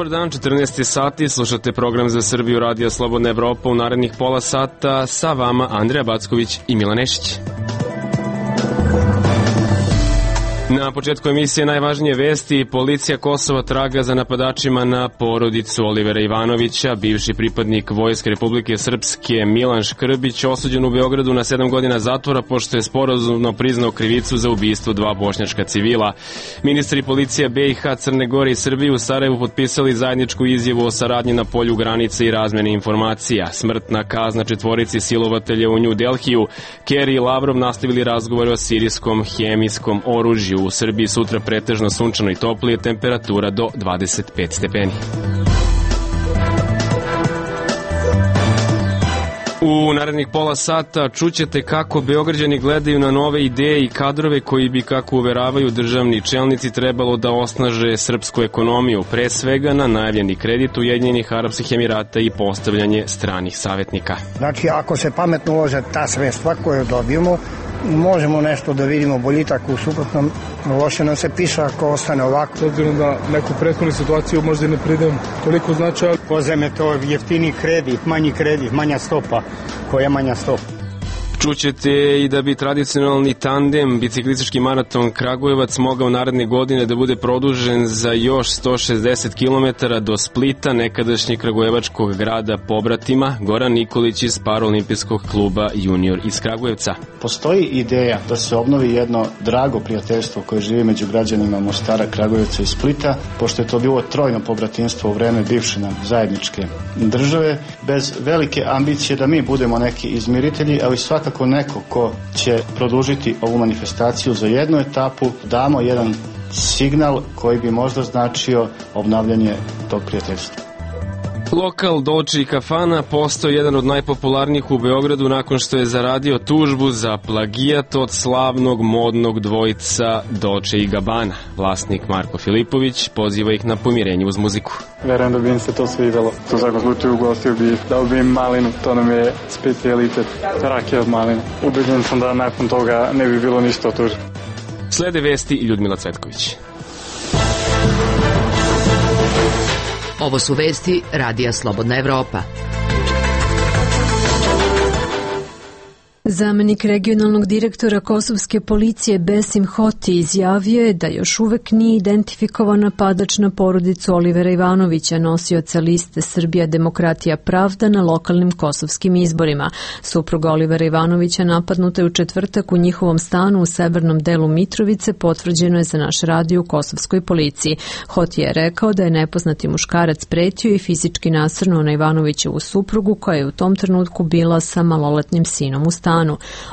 Dobar dan, 14 sati, slušate program za Srbiju Radija Slobodna Evropa. U narednih pola sata sa vama Andreja Backović i Milan Nešić. Na početku emisije najvažnije vesti. Policija Kosova traga za napadačima na porodicu Olivera Ivanovića. Bivši pripadnik Vojske Republike Srpske Milan Škrbić osuđen u Beogradu na 7 godina zatvora pošto je sporazumno priznao krivicu za ubistvo 2 bošnjačka civila. Ministri policija BiH, Crne Gore i Srbije u Sarajevu potpisali zajedničku izjavu o saradnji na polju granice i razmene informacija. Smrtna kazna 4 silovatelja u New Delhiju. Kerry i Lavrov nastavili razgovore o sirijskom hemijskom oružju. U Srbiji sutra pretežno sunčano i toplije, temperatura do 25 stepeni. U narednih pola sata čućete kako Beograđani gledaju na nove ideje i kadrove koji bi, kako uveravaju državni čelnici, trebalo da osnaže srpsku ekonomiju, pre svega na najavljeni kredit Ujedinjenih Arapskih Emirata i postavljanje stranih savjetnika. Znači, ako se pametno ulože ta sredstva koje dobijemo, možemo nešto da vidimo boljitak, u suprotnom loše nam se piše ako ostane ovako. S obzirom da neku prethodnu situaciju možda ne pridem toliko značaja. Pozem je to jeftini kredit, manja stopa. Koja manja stopa? Čućete i da bi tradicionalni tandem biciklistički maraton Kragujevac mogao naredne godine da bude produžen za još 160 km do Splita, nekadašnjeg kragujevačkog grada pobratima. Goran Nikolić iz Paraolimpijskog kluba Junior iz Kragujevca. Postoji ideja da se obnovi jedno drago prijateljstvo koje živi među građanima Mostara, Kragujevca i Splita, pošto je to bilo trojno pobratinstvo u vreme bivše nam zajedničke države, bez velike ambicije da mi budemo neki izmiritelji, ali svakako neko ko će produžiti ovu manifestaciju za jednu etapu, damo jedan signal koji bi možda značio obnavljanje tog prijateljstva. Lokal Dolce i Kafana postao jedan od najpopularnijih u Beogradu nakon što je zaradio tužbu za plagijat od slavnog modnog dvojica Dolce i Gabbana. Vlasnik Marko Filipović poziva ih na pomirenje uz muziku. Verujem da bi im se to svidelo. U svakom slučaju ugostio bi, dao bi im malinu, to nam je specijalitet, rakija od malina. Ubeđen sam da nakon toga ne bi bilo ništa od tužbe. Slede vesti i Ljudmila Cvetković. Ovo su vesti Radija Slobodna Evropa. Zamenik regionalnog direktora kosovske policije Besim Hoti izjavio je da još uvek nije identifikovan napadač na porodicu Olivera Ivanovića, nosioca liste Srbija demokratija pravda na lokalnim kosovskim izborima. Supruga Olivera Ivanovića napadnuta je u četvrtak u njihovom stanu u severnom delu Mitrovice, potvrđeno je za naš radio u kosovskoj policiji. Hoti je rekao da je nepoznati muškarac pretio i fizički nasrnuo na Ivanovićevu suprugu, koja je u tom trenutku bila sa maloletnim sinom u stanu.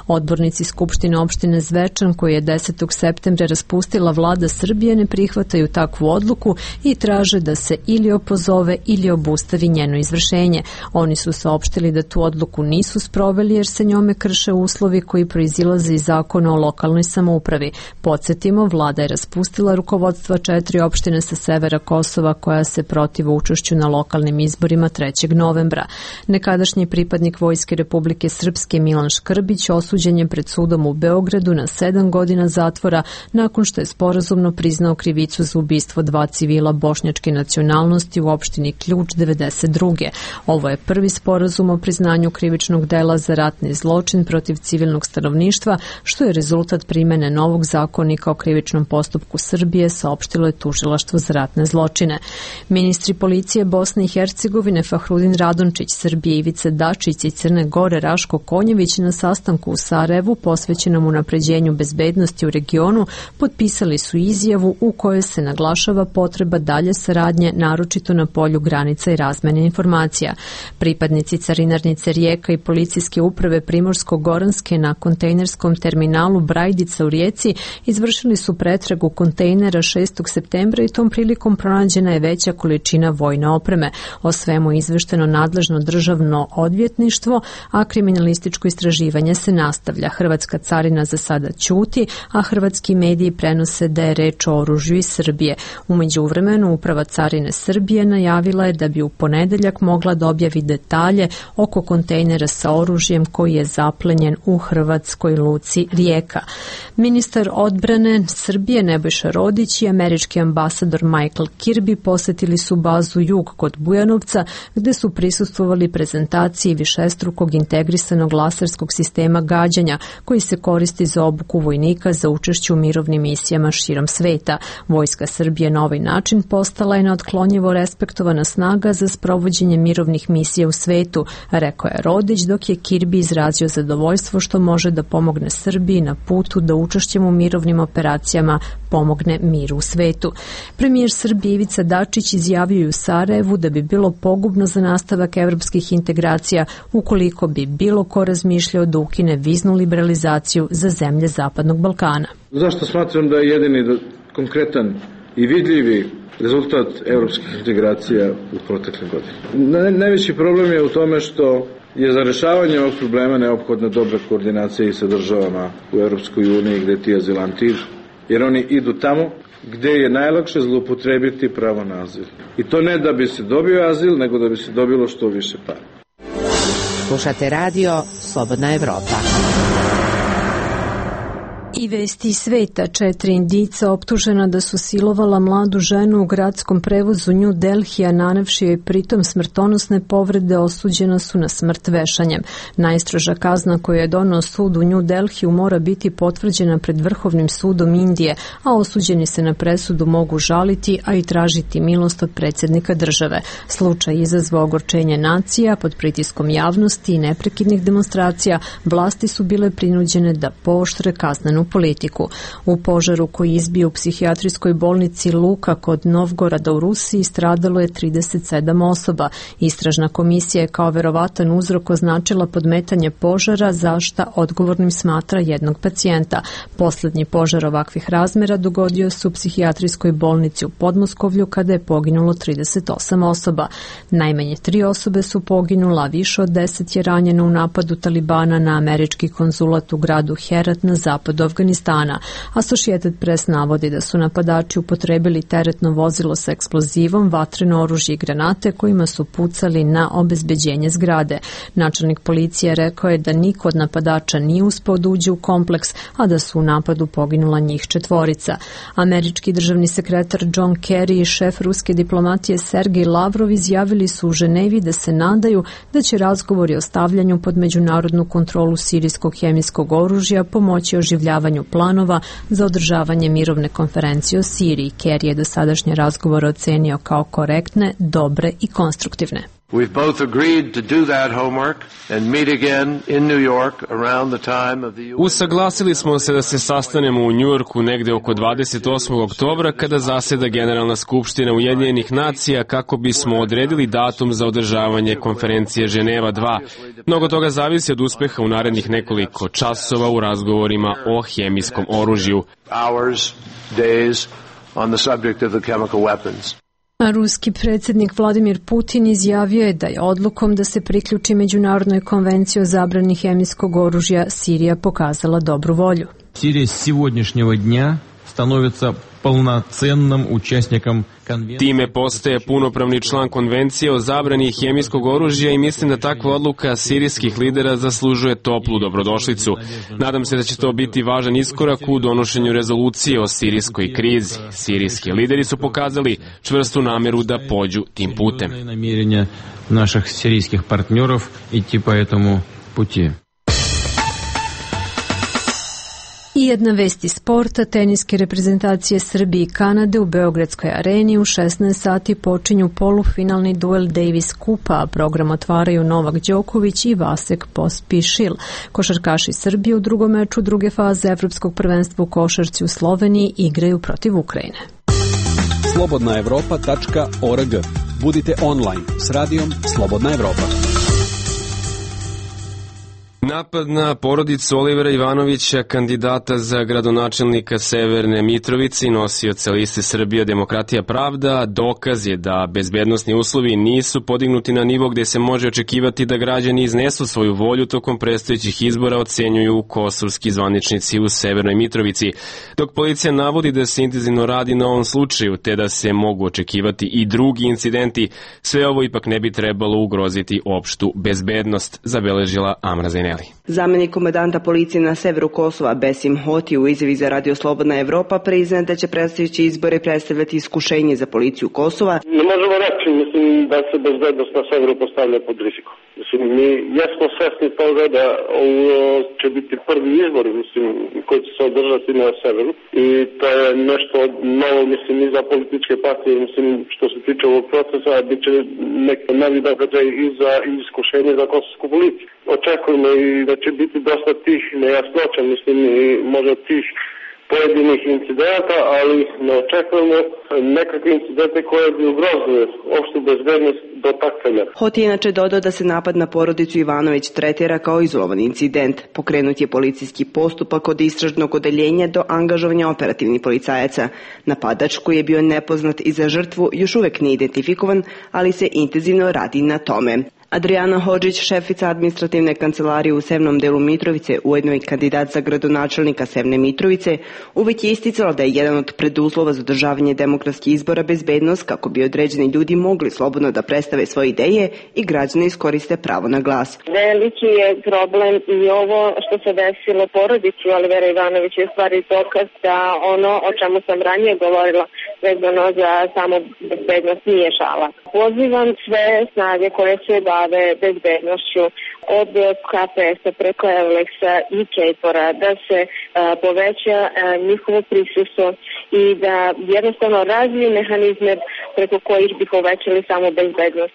Odbornici Skupštine opštine Zvečan, koji je 10. septembra raspustila vlada Srbije, ne prihvataju takvu odluku i traže da se ili opozove ili obustavi njeno izvršenje. Oni su saopštili da tu odluku nisu sproveli jer se njome krše uslovi koji proizilaze iz zakona o lokalnoj samoupravi. Podsjetimo, vlada je raspustila rukovodstva 4 opštine sa severa Kosova koja se protive učešću na lokalnim izborima 3. novembra. Nekadašnji pripadnik Vojske Republike Srpske Milan Škrbić osuđen je pred sudom u Beogradu na 7 godina zatvora nakon što je sporazumno priznao krivicu za ubistvo 2 civila bošnjačke nacionalnosti u opštini Ključ 92. Ovo je prvi sporazum o priznanju krivičnog dela za ratni zločin protiv civilnog stanovništva, što je rezultat primene novog zakonika o krivičnom postupku Srbije, saopštilo je Tužilaštvo za ratne zločine. Ministri policije Bosne i Hercegovine Fahrudin Radončić, Srbije Ivica Dačić i Crne Gore Raško Konjević na sastanku u Sarajevu posvećenom unapređenju bezbednosti u regionu potpisali su izjavu u kojoj se naglašava potreba dalje saradnje, naročito na polju granica i razmene informacija. Pripadnici carinarnice Rijeka i policijske uprave Primorsko-Goranske na kontejnerskom terminalu Brajdica u Rijeci izvršili su pretragu kontejnera 6. septembra i tom prilikom pronađena je veća količina vojne opreme. O svemu izvešteno nadležno državno odvjetništvo, a kriminalističko istraživanje istraživanje se nastavlja. Hrvatska carina za sada ćuti, a hrvatski mediji prenose da je reč o oružju iz Srbije. U međuvremenu Uprava carine Srbije najavila je da bi u ponedeljak mogla da objavi detalje oko kontejnera sa oružjem koji je zaplenjen u hrvatskoj luci Rijeka. Ministar odbrane Srbije Nebojša Rodić i američki ambasador Michael Kirby posetili su bazu Jug kod Bujanovca, gde su prisustvovali prezentaciji višestrukog integrisanog laserskog sistema gađanja koji se koristi za obuku vojnika za učešće u mirovnim misijama širom sveta. Vojska Srbije na ovaj način postala je neotklonjivo respektovana snaga za sprovođenje mirovnih misija u svetu, rekao je Rodić, dok je Kirby izrazio zadovoljstvo što može da pomogne Srbiji na putu da učešćem u mirovnim operacijama pomogne miru u svetu. Premijer Srbije Ivica Dačić izjavio u Sarajevu da bi bilo pogubno za nastavak evropskih integracija ukoliko bi bilo ko razmišljao da ukine viznu liberalizaciju za zemlje Zapadnog Balkana. Zašto smatram da je jedini konkretan i vidljivi rezultat evropskih integracija u proteklim godinama? Najveći problem je u tome što je za rešavanje ovog problema neophodna dobra koordinacija i sa državama u Evropskoj uniji gde ti azilanti, jer oni idu tamo gde je najlakše zloupotrebiti pravo na azil. I to ne da bi se dobio azil, nego da bi se dobilo što više para. Slušate radio Slobodna Evropa. I vesti sveta. 4 Indijca optužena da su silovala mladu ženu u gradskom prevozu New Delhija, nanevši joj pritom smrtonosne povrede, osuđena su na smrt vešanjem. Najstroža kazna koju je doneo sud u New Delhiju mora biti potvrđena pred Vrhovnim sudom Indije, a osuđeni se na presudu mogu žaliti, a i tražiti milost od predsjednika države. Slučaj izazvao ogorčenje nacija pod pritiskom javnosti i neprekidnih demonstracija. Vlasti su bile prinuđene da pooštre kaznenu politiku. U požaru koji izbio u psihijatrijskoj bolnici Luka kod Novgorada u Rusiji stradalo je 37 osoba. Istražna komisija je kao verovatan uzrok označila podmetanje požara, za šta odgovornim smatra jednog pacijenta. Poslednji požar ovakvih razmera dogodio se u psihijatrijskoj bolnici u Podmoskovlju kada je poginulo 38 osoba. Najmanje 3 osobe su poginula, a više od 10 je ranjeno u napadu Talibana na američki konzulat u gradu Herat na zapadu Afganistana. Associated Press navodi da su napadači upotrebili teretno vozilo sa eksplozivom, vatreno oružje i granate kojima su pucali na obezbeđenje zgrade. Načelnik policije rekao je da niko od napadača nije uspeo da uđe u kompleks, a da su u napadu poginula njih 4. Američki državni sekretar John Kerry i šef ruske diplomatije Sergej Lavrov izjavili su u Ženevi da se nadaju da će razgovori o stavljanju pod međunarodnu kontrolu sirijskog hemijskog oružja pomoći oživljavanju planova za održavanje mirovne konferencije o Siriji. Kerry je dosadašnje razgovore ocenio kao korektne, dobre i konstruktivne. We've both agreed to do that homework and meet again in New York around the time of the Usaglasili smo se da se sastanemo u Njujorku negde oko 28. oktobra kada zaseda Generalna skupština Ujedinjenih nacija kako bismo odredili datum za održavanje konferencije Ženeva 2. Mnogo toga zavisi od uspeha u narednih nekoliko časova u razgovorima o hemijskom oružju. Hours, days on the subject of the chemical weapons. A ruski predsjednik Vladimir Putin izjavio je da je odlukom da se priključi Međunarodnoj konvenciji o zabrani hemijskog oružja Sirija pokazala dobru volju. Sirija s сегодняшнего dня становится полноценным участником конвенции. Time postaje punopravni član konvencije o zabrani hemijskog oružja i mislim da takva odluka sirijskih lidera zaslužuje toplu dobrodošlicu. Nadam se da će to biti važan iskorak u donošenju rezolucije o sirijskoj krizi. Sirijski lideri su pokazali čvrstu nameru da pođu tim putem. Намерения наших сирийских партнеров идти по этому пути. I jedna vest iz sporta. Teniske reprezentacije Srbije i Kanade u Beogradskoj areni u 16 sati počinju polufinalni duel Davis Kupa, a program otvaraju Novak Đoković i Vasek Pospišil. Košarkaši Srbije u drugom meču druge faze Evropskog prvenstva u košarci u Sloveniji igraju protiv Ukrajine. slobodnaevropa.org. Budite online s radijom Slobodna Evropa. 9 Slobodna Evropa. 11 Slobodna Evropa. Napad na porodicu Olivera Ivanovića, kandidata za gradonačelnika Severne Mitrovice i nosioca liste Srbija Demokratija Pravda, dokaz je da bezbednosni uslovi nisu podignuti na nivo gde se može očekivati da građani iznesu svoju volju tokom predstojećih izbora, ocenjuju kosovski zvaničnici u Severnoj Mitrovici. Dok policija navodi da se intenzivno radi na ovom slučaju, te da se mogu očekivati i drugi incidenti, sve ovo ipak ne bi trebalo ugroziti opštu bezbednost, zabeležila Amra Zaineli. Zamenik komandanta policije na severu Kosova Besim Hoti u izjavi za Radio Slobodna Evropa priznaje da će predstojeći izbore predstavljati iskušenje za policiju Kosova. Ne možemo reći, da se bezbednost na severu postavlja pod rizikom. Mi jesmo svesni toga da ovo će biti prvi izbor, koji će se održati na severu i to je nešto novo, i za političke partije, što se tiče ovog procesa, bit će neki novi događaj i za iskušenje za kosovsku policiju. Očekujemo i da će biti dosta tih nejasnoća, i možda tih pojedinih incidenta, ali ne očekujemo nekakve incidente koje bi ugrozile opštu bezbednost do takvega. Hoti je inače dodao da se napad na porodicu Ivanović tretira kao izolovan incident. Pokrenut je policijski postupak od istražnog odeljenja do angažovanja operativnih policajaca. Napadač, koji je bio nepoznat i za žrtvu, još uvek nije identifikovan, ali se intenzivno radi na tome. Adriana Hodžić, šefica administrativne kancelarije u Severnom delu Mitrovice, ujedno i kandidat za gradonačelnika Severne Mitrovice, uvek je isticala da je jedan od preduslova za održavanje demokratskih izbora bezbednost kako bi određeni ljudi mogli slobodno da predstave svoje ideje i građani iskoriste pravo na glas. Veliki je problem i ovo što se desilo porodici Olivera Ivanovića je stvari dokaz da ono o čemu sam ranije govorila vezano za samo bezbednost nije šala. Pozivam sve snage koje se bave bezbednošću od KPS-a preko Evleksa i KFOR-a da se poveća njihovo prisustvo i da jednostavno razviju mehanizme preko kojih bi povećali samo bezbednost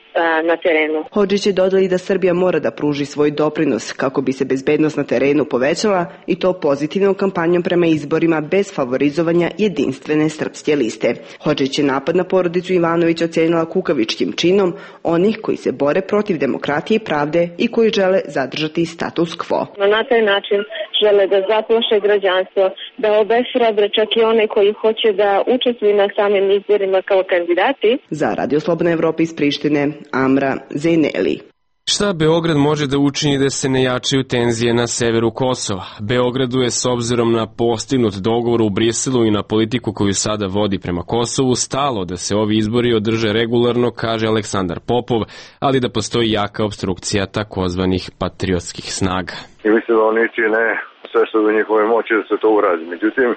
na terenu. Hodžić je dodali da Srbija mora da pruži svoj doprinos kako bi se bezbednost na terenu povećala i to pozitivnom kampanjom prema izborima bez favorizovanja jedinstvene srpske liste. Hodžić je napad na porodicu Ivanović ocenila kukavičkim činom onih koji se bore protiv demokratije i pravde i koji žele zadržati status quo. Na taj način žele da zaplaše građanstvo, da obeshrabre čak i one koji hoće da učestvuju na samim izborima kao kandidati. Za Radio Slobodna Evropa iz Prištine, Amra Zaineli. Šta Beograd može da učini da se ne jačaju tenzije na severu Kosova? Beogradu je s obzirom na postignut dogovor u Briselu i na politiku koju sada vodi prema Kosovu stalo da se ovi izbori održe regularno, kaže Aleksandar Popov, ali da postoji jaka opstrukcija takozvanih patriotskih snaga. I mislim da oni čine sve što je u njihovoj moći da se to uradi. Međutim,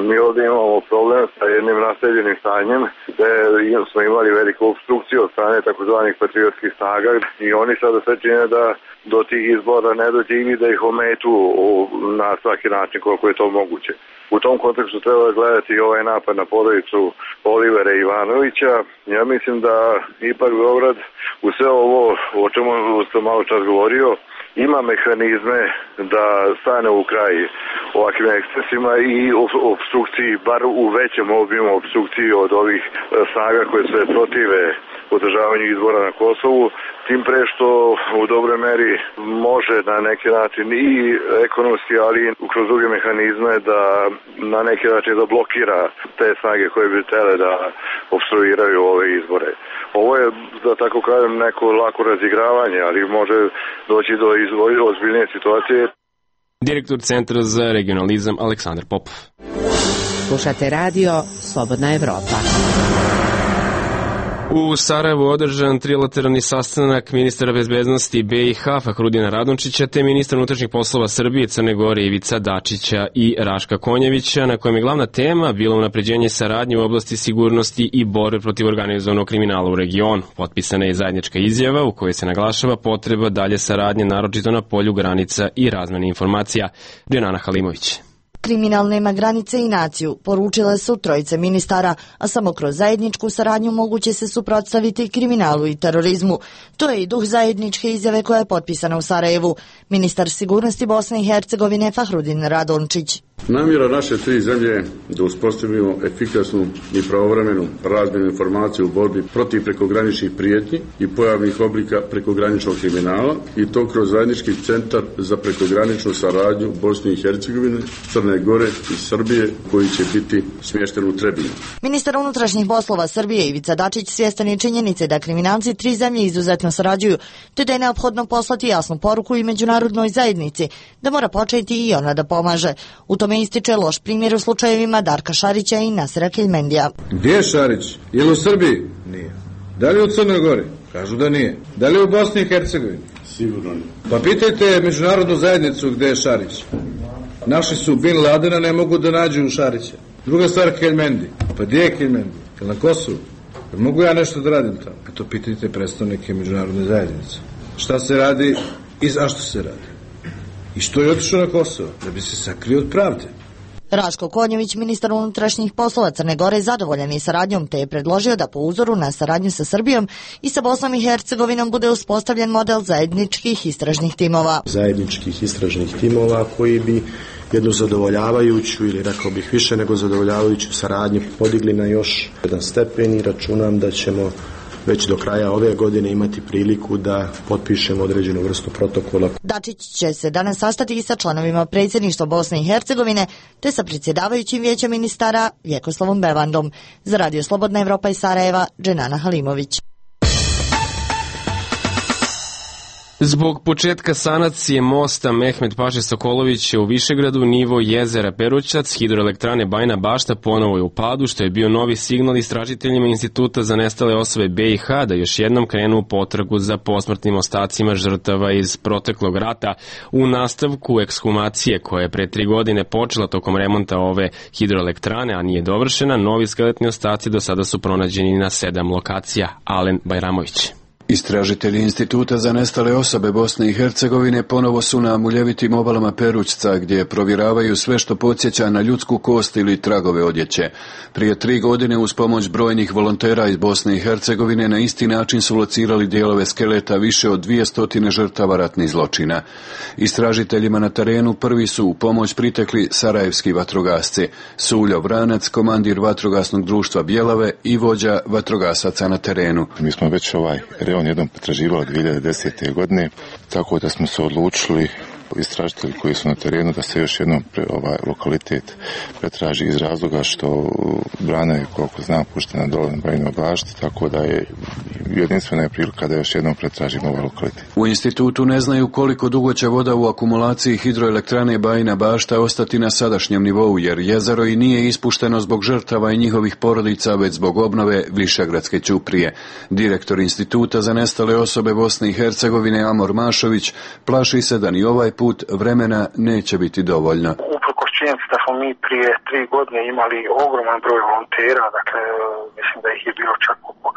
mi ovdje imamo problem sa jednim naseljenim stanjem gde smo imali veliku obstrukciju od strane takozvanih patriotskih snaga i oni sada sve čine da do tih izbora ne dođe ili da ih ometu na svaki način koliko je to moguće. U tom kontekstu treba gledati i ovaj napad na porodicu Olivera Ivanovića. Ja mislim da ipak Beograd u sve ovo o čemu sam malo čas govorio ima mehanizme da stane u kraj ovakvim ekscesima i obstrukciji, bar u većem obimu obstrukciji od ovih snaga koje se protive održavanju izbora na Kosovu, tim pre što u dobroj meri može na neki način i ekonomski, ali i kroz druge mehanizme da na neki način da blokira te snage koje bi htele da obstruiraju ove izbore. Ovo je, da tako kažem, neko lako razigravanje, ali može doći do ozbiljnije situacije. Direktor Centra za regionalizam Aleksandar Popov. Slušate radio Slobodna Evropa. U Sarajevu održan trilateralni sastanak ministra bezbednosti BiH Fahrudina Radončića te ministra unutrašnjih poslova Srbije, Crne Gore Ivica Dačića i Raška Konjevića, na kojem je glavna tema bila unapređenje saradnje u oblasti sigurnosti i borbe protiv organizovanog kriminala u regionu. Potpisana je zajednička izjava u kojoj se naglašava potreba dalje saradnje, naročito na polju granica i razmene informacija. Dženana Halimović. Kriminal nema granice i naciju, poručile su trojice ministara, a samo kroz zajedničku saradnju moguće se suprotstaviti kriminalu i terorizmu. To je i duh zajedničke izjave koja je potpisana u Sarajevu. Ministar sigurnosti Bosne i Hercegovine Fahrudin Radončić. Namjera naše tri zemlje je da uspostavimo efikasnu i pravovremenu razmjenu informacija u borbi protiv prekograničnih prijetnji i pojavnih oblika prekograničnog kriminala i to kroz zajednički centar za prekograničnu saradnju Bosne i Hercegovine, Crne Gore i Srbije koji će biti smješten u Trebinju. Ministar unutrašnjih poslova Srbije Ivica Dačić svjestan je činjenice da kriminalci tri zemlje izuzetno sarađuju, te da je neophodno poslati jasnu poruku i međunarodnoj zajednici da mora početi i ona da pomaže. U tome ističe loš primjer u slučajevima Darka Šarića i Nasera Keljmendija. Gdje je Šarić? Je li u Srbiji? Nije. Da li u Crnoj Gori? Kažu da nije. Da li u Bosni i Hercegovini? Sigurno nije. Pa pitajte međunarodnu zajednicu gdje je Šarić. Našli su Bin Ladena, ne mogu da nađu Šarića. Druga stvar, Keljmendi. Pa gdje je Keljmendi? Je na Kosovu? Mogu ja nešto da radim tamo? A to pitajte predstavnike međunarodne zajednice. Šta se radi i zašto se radi? I što je otišao na Kosovo? Da bi se sakrio od pravde. Raško Konjević, ministar unutrašnjih poslova Crne Gore, zadovoljan je saradnjom, te je predložio da po uzoru na saradnju sa Srbijom i sa Bosnom i Hercegovinom bude uspostavljen model zajedničkih istražnih timova. Zajedničkih istražnih timova koji bi jednu zadovoljavajuću ili rekao bih više nego zadovoljavajuću saradnju podigli na još jedan stepen i računam da ćemo već do kraja ove godine imati priliku da potpišemo određenu vrstu protokola. Dačić će se danas sastati i sa članovima predsjedništva Bosne i Hercegovine, te sa predsjedavajućim vijećem ministara Vjekoslavom Bevandom. Za Radio Slobodna Evropa iz Sarajeva, Dženana Halimović. Zbog početka sanacije mosta Mehmet Paše Sokolovića u Višegradu, nivo jezera Perućac, hidroelektrane Bajina Bašta ponovo je u padu, što je bio novi signal istražiteljima Instituta za nestale osobe BiH da još jednom krenu u potragu za posmrtnim ostacima žrtava iz proteklog rata. U nastavku ekshumacije koja je pre 3 godine počela tokom remonta ove hidroelektrane, a nije dovršena, novi skeletni ostaci do sada su pronađeni na 7 lokacija. Alen Bajramović. Istražitelji Instituta za nestale osobe Bosne i Hercegovine ponovo su na muljevitim obalama Perućca, gdje provjeravaju sve što podsjeća na ljudsku kost ili tragove odjeće. Prije 3 godine uz pomoć brojnih volontera iz Bosne i Hercegovine na isti način su locirali dijelove skeleta više od 200 žrtava ratnih zločina. Istražiteljima na terenu prvi su u pomoć pritekli sarajevski vatrogasci, Suljo Vranac, komandir vatrogasnog društva Bjelave i vođa vatrogasaca na terenu. Mi smo već on jednom pretraživali 2010. godine, tako da smo se odlučili istražitelji koji su na terenu da se još jednom lokalitet pretraži iz razloga što brana je, koliko znam, puštena dole na Bajinoj Bašti, tako da je jedinstvena prilika da još jednom pretražimo ovaj lokalitet. U institutu ne znaju koliko dugo će voda u akumulaciji hidroelektrane Bajina Bašta ostati na sadašnjem nivou, jer jezero i nije ispušteno zbog žrtava i njihovih porodica, već zbog obnove Višegradske ćuprije. Direktor Instituta za nestale osobe Bosne i Hercegovine Amor Mašović plaši se da ni ovaj put vremena neće biti dovoljno. Uprkos činjenici da smo mi prije 3 godine imali ogroman broj volontera, dakle mislim da ih je bilo čak oko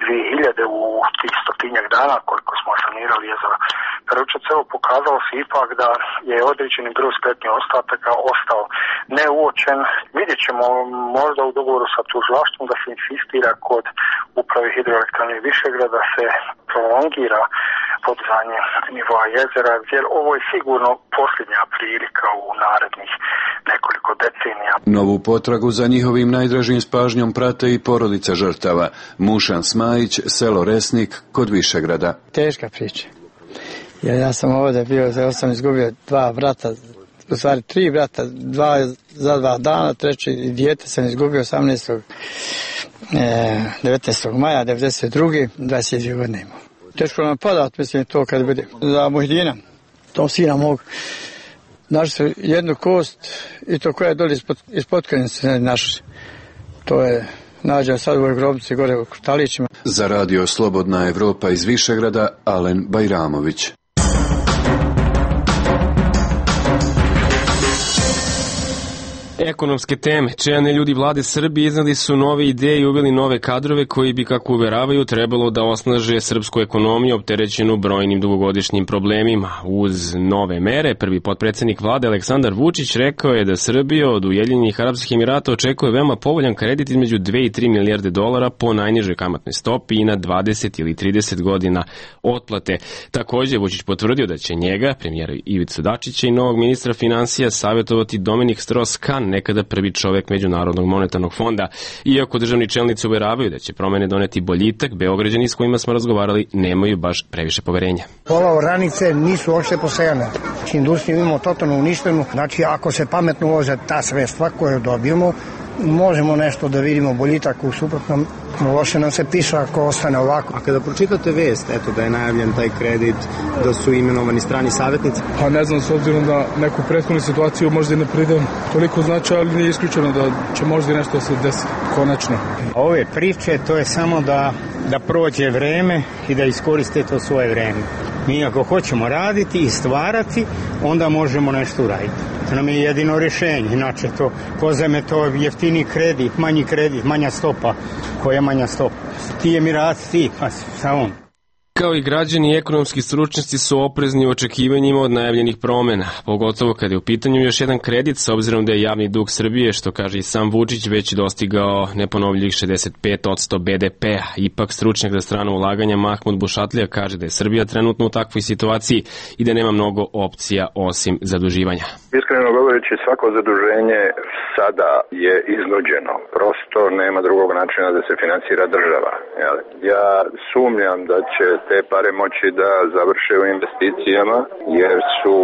2000 u tih 100-tinjak dana koliko smo sanirali jezero Perućac, evo pokazalo se ipak da je određeni broj skeletnih ostataka ostao neuočen. Vidjet ćemo možda u dogovoru sa tužilaštvom da se insistira kod uprave hidroelektrane Višegrada da se prolongira podizanje nivoa jezera, jer ovo je sigurno posljednja prilika u narednih nekoliko decenija. Novu potragu za njihovim najdražim s pažnjom prate i porodica žrtava. Mušan Smajić, selo Resnik, kod Višegrada. Teška priča. Jer ja sam ovdje bio, ja sam izgubio 2 brata, u stvari 3 brata, 2 za 2 dana, treći dijete sam izgubio 19. maja 92. 22 godine imao. Teško nam padat, mislim, to kad bude za Muhdina, tom sina mog. Našli su jednu kost i to koja je doli ispod krenice našli. To je nađeno sad u ovoj grobnici gore u Krtalićima. Za Radio Slobodna Evropa iz Višegrada, Alen Bajramović. Ekonomske teme. Čelni ljudi vlade Srbije iznali su nove ideje i uveli nove kadrove koji bi, kako uveravaju, trebalo da osnaže srpsku ekonomiju opterećenu brojnim dugogodišnjim problemima. Uz nove mere, prvi potpredsednik vlade Aleksandar Vučić rekao je da Srbija od Ujedinjenih Arapskih Emirata očekuje veoma povoljan kredit između 2 i 3 milijarde dolara po najnižoj kamatnoj stopi i na 20 ili 30 godina otplate. Takođe, Vučić potvrdio da će njega, premijera Ivicu Dačića i novog ministra finansija savjetovati Dominik Strauss-Kahn, nekada prvi čovek Međunarodnog monetarnog fonda. Iako državni čelnici uveravaju da će promene doneti boljitak, Beograđani s kojima smo razgovarali nemaju baš previše poverenja. Pola oranice nisu uopšte posejane. Industriju imamo totalno uništenu. Znači, ako se pametno ulože ta sredstva koje dobijemo, možemo nešto da vidimo boljitak, u suprotnom loše nam se piše ako ostane ovako. A kada pročitate vest, eto da je najavljen taj kredit, da su imenovani strani savjetnici? Pa ne znam, s obzirom da neku prethodnu situaciju možda i ne pridem toliko značaja, ali nije isključeno da će možda i nešto se desiti konačno. Ove priče, to je samo da prođe vreme i da iskoriste to svoje vreme. Mi ako hoćemo raditi i stvarati, onda možemo nešto uraditi. To nam je jedino rješenje, inače to pozajme to jeftini kredit, manja stopa. Koja je manja stopa? Ti Emirati, ti, pa samo. Kao i građani i ekonomski stručnjaci su oprezni u očekivanjima od najavljenih promena, pogotovo kada je u pitanju još jedan kredit, s obzirom da je javni dug Srbije, što kaže i sam Vučić, već dostigao neponovljivih 65% BDP-a. Ipak stručnjak za strano ulaganja Mahmud Bušatlija kaže da je Srbija trenutno u takvoj situaciji i da nema mnogo opcija osim zaduživanja. Iskreno govoreći, svako zaduženje sada je iznuđeno. Prosto nema drugog načina da se finansira država. Ja sumnjam da će te pare moći da završe u investicijama, jer su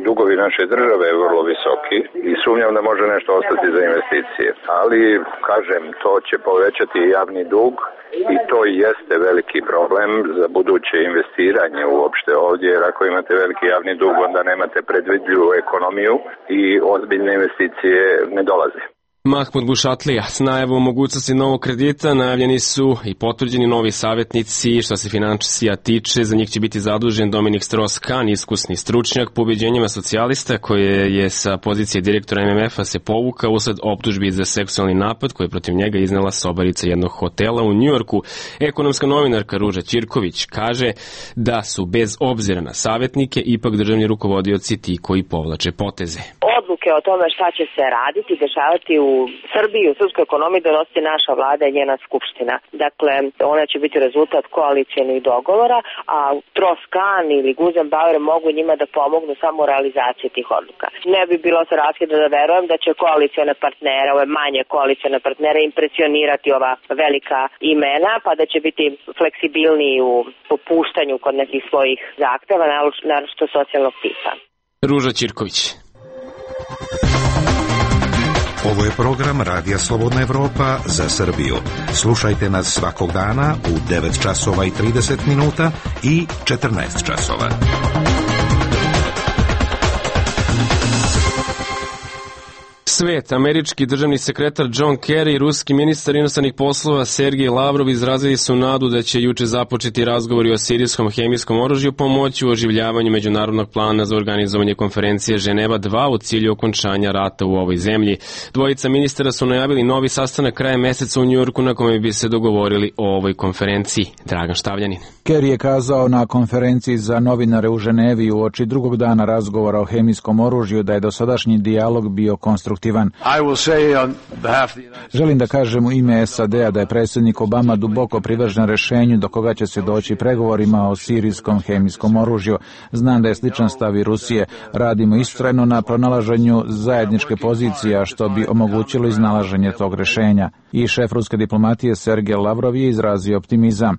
dugovi naše države vrlo visoki i sumnjam da može nešto ostati za investicije. Ali, kažem, to će povećati javni dug i to jeste veliki problem za buduće investiranje uopšte ovdje, jer ako imate veliki javni dug, onda nemate predvidljivu ekonomiju i ozbiljne investicije ne dolaze. Mahmud Bušatlija s najavom mogućnosti novog kredita najavljeni su i potvrđeni novi savjetnici. Što se finansija tiče, za njih će biti zadužen Dominik Strauss-Kahn, iskusni stručnjak po ubeđenjima socijalista, koje je sa pozicije direktora MMF-a se povukao usled optužbi za seksualni napad koje je protiv njega iznela sobarica jednog hotela u Njujorku. Ekonomska novinarka Ruža Ćirković kaže da su bez obzira na savjetnike ipak državni rukovodioci ti koji povlače poteze. Odluke o tome šta će se raditi, dešavati u Srbiji, u srpskoj ekonomiji donosi naša vlada i njena skupština. Dakle, ona će biti rezultat koalicijenih dogovora, a Strauss-Kahn ili Guzenbauer mogu njima da pomognu samo u realizaciji tih odluka. Ne bi bilo sa raskida da verujem da će koalicione partnere, ove manje koalicione partnere impresionirati ova velika imena, pa da će biti fleksibilniji u popuštanju kod nekih svojih zahteva, naročito socijalnog tipa. Ruža Ćirković. Ovo je program Radija Slobodna Evropa za Srbiju. Slušajte nas svakog dana u 9 časova i 30 minuta i 14 časova. Svet, američki državni sekretar John Kerry i ruski ministar inostranih poslova Sergej Lavrov izrazili su nadu da će juče započeti razgovori o sirijskom hemijskom oružju pomoći u oživljavanju međunarodnog plana za organizovanje konferencije Ženeva 2 u cilju okončanja rata u ovoj zemlji. Dvojica ministara su najavili novi sastanak krajem meseca u Njujorku na kome bi se dogovorili o ovoj konferenciji. Dragan Štavljanin. Kerry je kazao na konferenciji za novinare u Ženevi uoči drugog dana razgovora o hemijskom oružju da je dosadašnji dijalog bio konstruktivan. Želim da kažem u ime SAD-a da je predsjednik Obama duboko privržen rešenju do koga će se doći pregovorima o sirijskom hemijskom oružju. Znam da je sličan stav i Rusije. Radimo istrajno na pronalaženju zajedničke pozicije, što bi omogućilo iznalaženje tog rešenja. I šef ruske diplomatije Sergej Lavrov je izrazio optimizam.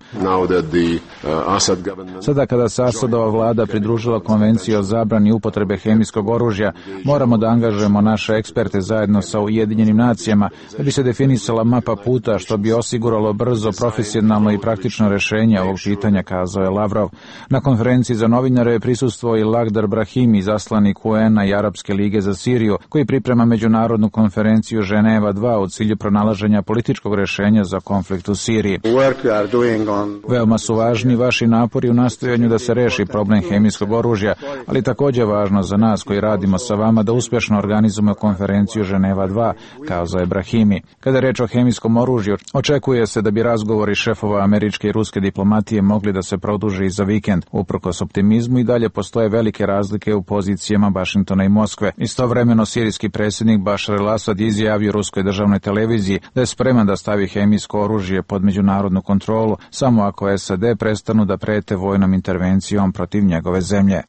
Sada kada se Asadova vlada pridružila konvenciji o zabrani upotrebe hemijskog oružja, moramo da angažujemo naše eksperte zajedno sa Ujedinjenim nacijama da bi se definisala mapa puta što bi osiguralo brzo, profesionalno i praktično rešenje ovog pitanja, kazao je Lavrov. Na konferenciji za novinare je prisustvovao i Lakhdar Brahimi, izaslanik UN-a i Arapske lige za Siriju, koji priprema međunarodnu konferenciju Ženeva 2 u cilju pronalaženja političkog rešenja za konflikt u Siriji. Veoma su važni vaši napori u nastojanju da se reši problem hemijskog oružja, ali također je važno za nas koji radimo sa vama da uspješno organizujemo konferenciju konvenciju Ženeva 2, kazao je Brahimi. Kada je reč o hemijskom oružju, očekuje se da bi razgovori šefova američke i ruske diplomatije mogli da se produže i za vikend. Uprkos optimizmu i dalje postoje velike razlike u pozicijama Vašingtona i Moskve. Istovremeno sirijski predsjednik Bašar el-Asad izjavio ruskoj državnoj televiziji da je spreman da stavi hemijsko oružje pod međunarodnu kontrolu samo ako SAD prestanu da prete vojnom intervencijom protiv njegove zemlje.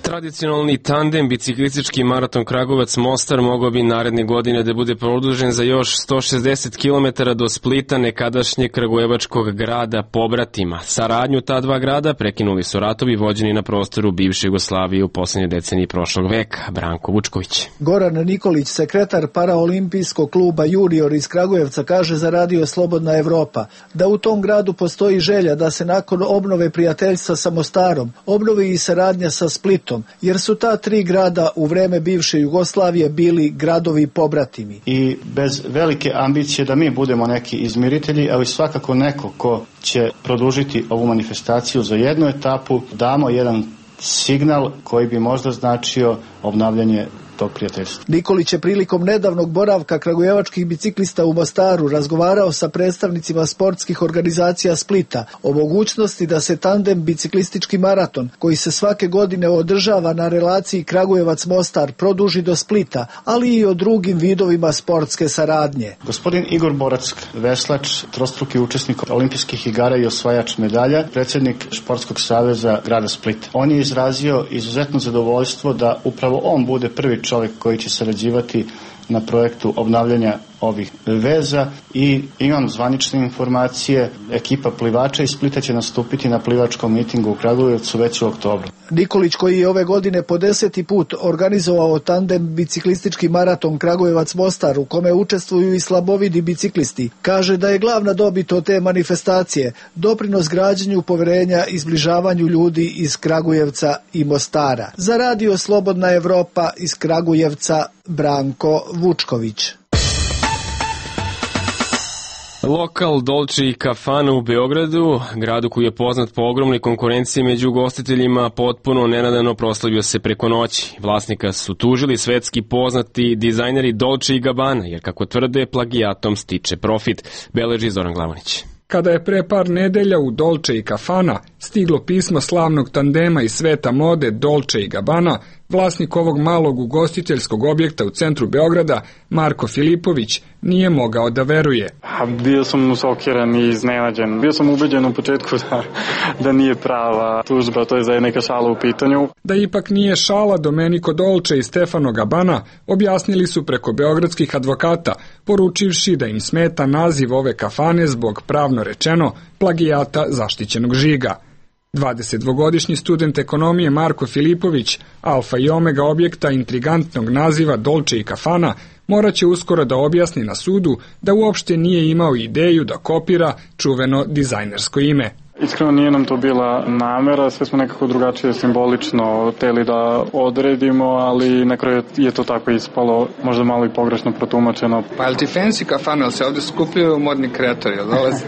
Tradicionalni tandem biciklistički maraton Kragujevac-Mostar mogao bi naredne godine da bude produžen za još 160 km do Splita, nekadašnjeg kragujevačkog grada pobratima. Saradnju ta dva grada prekinuli su ratovi vođeni na prostoru bivše Jugoslavije u posljednjoj deceniji prošlog veka. Branko Vučković. Goran Nikolić, sekretar paraolimpijskog kluba Junior iz Kragujevca, kaže za Radio Slobodna Evropa da u tom gradu postoji želja da se nakon obnove prijateljstva sa Mostarom obnovi i saradnja sa Splitom, jer su ta tri grada u vreme bivše Jugoslavije bili gradovi pobratimi. I bez velike ambicije da mi budemo neki izmiritelji, ali svakako neko ko će produžiti ovu manifestaciju za jednu etapu, damo jedan signal koji bi možda značio obnavljanje tog prijateljstva. Nikolić je prilikom nedavnog boravka kragujevačkih biciklista u Mostaru razgovarao sa predstavnicima sportskih organizacija Splita o mogućnosti da se tandem biciklistički maraton, koji se svake godine održava na relaciji Kragujevac-Mostar, produži do Splita, ali i o drugim vidovima sportske saradnje. Gospodin Igor Borac, veslač, trostruki učesnik olimpijskih igara i osvajač medalja, predsjednik Športskog saveza grada Splita. On je izrazio izuzetno zadovoljstvo da upravo on bude prvi čovjek koji će sarađivati na projektu obnavljanja ovih veza i imam zvanične informacije, ekipa plivača iz Splita će nastupiti na plivačkom mitingu u Kragujevcu već u oktobru. Nikolić, koji je ove godine po 10. put organizovao tandem biciklistički maraton Kragujevac-Mostar u kome učestvuju i slabovidi biciklisti, kaže da je glavna dobit od te manifestacije doprinos građenju poverenja i zbližavanju ljudi iz Kragujevca i Mostara. Za Radio Slobodna Evropa iz Kragujevca, Branko Vučković. Lokal Dolce i Kafana u Beogradu, gradu koji je poznat po ogromnoj konkurenciji među ugostiteljima, potpuno nenadano proslavio se preko noći. Vlasnika su tužili svetski poznati dizajneri Dolce i Gabbana, jer kako tvrde, plagijatom stiče profit, beleži Zoran Glavonić. Kada je pre par nedelja u Dolce i Kafana stiglo pismo slavnog tandema iz sveta mode Dolce i Gabbana, vlasnik ovog malog ugostiteljskog objekta u centru Beograda, Marko Filipović, nije mogao da veruje. Bio sam šokiran i iznenađen. Bio sam ubeđen u početku da nije prava tužba, to je za neka šala u pitanju. Da ipak nije šala, Domenico Dolce i Stefano Gabbana objasnili su preko beogradskih advokata, poručivši da im smeta naziv ove kafane zbog, pravno rečeno, plagijata zaštićenog žiga. 22-godišnji student ekonomije Marko Filipović, alfa i omega objekta intrigantnog naziva Dolce i Kafana, moraće uskoro da objasni na sudu da uopšte nije imao ideju da kopira čuveno dizajnersko ime. Iskreno nije nam to bila namera, sve smo nekako drugačije simbolično hteli da odredimo, ali na kraju je to tako ispalo, možda malo i pogrešno protumačeno. Pa je li ti fancy kafana, ali se ovdje skupljaju modni kreatori, jel dolazi?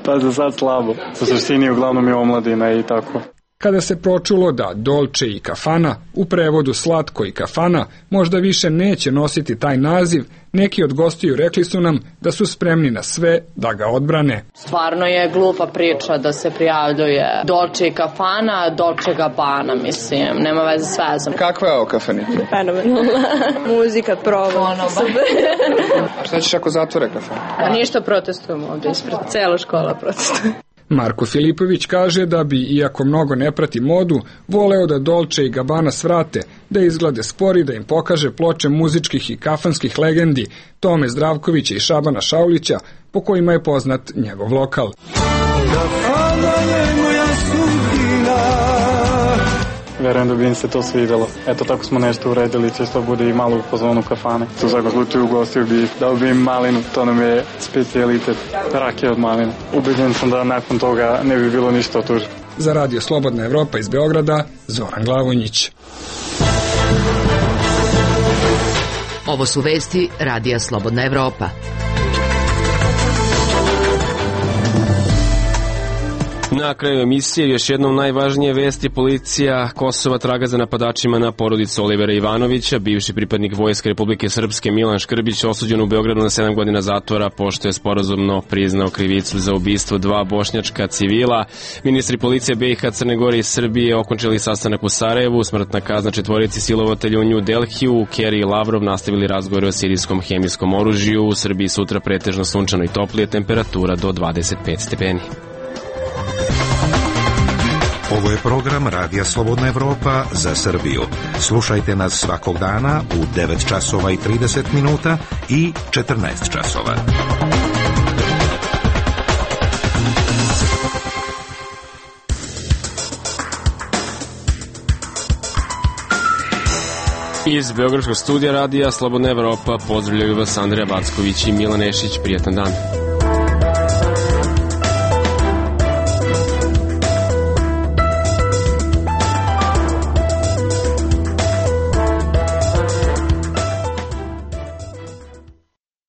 Pa za sad slabo, u suštini uglavnom je omladina i tako. Kada se pročulo da Dolce i Kafana, u prevodu slatko i kafana, možda više neće nositi taj naziv, neki od gostiju rekli su nam da su spremni na sve da ga odbrane. Stvarno je glupa priča da se prijavljuje Dolce i Kafana, Dolce Gabbana, mislim, nema veze s vezom. Kakva je ovo kafanica? Fenomenalna. Muzika, proba. Šta ćeš ako zatvore kafanu? Pa ništa, protestujemo ovdje ispred, cela škola protestuje. Marko Filipović kaže da bi, iako mnogo ne prati modu, voleo da Dolce i Gabbana svrate, da izglede spori, da im pokaže ploče muzičkih i kafanskih legendi Tome Zdravkovića i Šabana Šaulića, po kojima je poznat njegov lokal. Verujem da bi im se to svidjelo. Eto, tako smo nešto uredili, će što bude i malo u pozvonu kafane. U svakom slučaju ugostio bi, dao bi im malinu, to nam je specijalitet, rakije od maline. Ubeđen sam da nakon toga ne bi bilo ništa od tužbe. Za Radio Slobodna Evropa iz Beograda, Zoran Glavonjić. Ovo su vesti Radija Slobodna Evropa. Na kraju emisije još jednom najvažnije vesti. Policija Kosova traga za napadačima na porodicu Olivera Ivanovića. Bivši pripadnik Vojske Republike Srpske Milan Škrbić osuđen u Beogradu na 7 godina zatvora pošto je sporazumno priznao krivicu za ubistvo 2 bošnjačka civila. Ministri policije BiH, Crne Gore i Srbije okončali sastanak u Sarajevu. Smrtna kazna 4 silovatelja u New Delhiju. Kerry i Lavrov nastavili razgovore o sirijskom hemijskom oružju. U Srbiji sutra pretežno sunčano i toplije, temperatura do 25 stepeni. Ovo je program Radija Slobodna Evropa za Srbiju. Slušajte nas svakog dana u 9 časova i 30 minuta i 14 časova. Iz Beogradskog studija Radija Slobodna Evropa pozdravljaju vas Andreja Backović i Milan Ešić. Prijatan dan.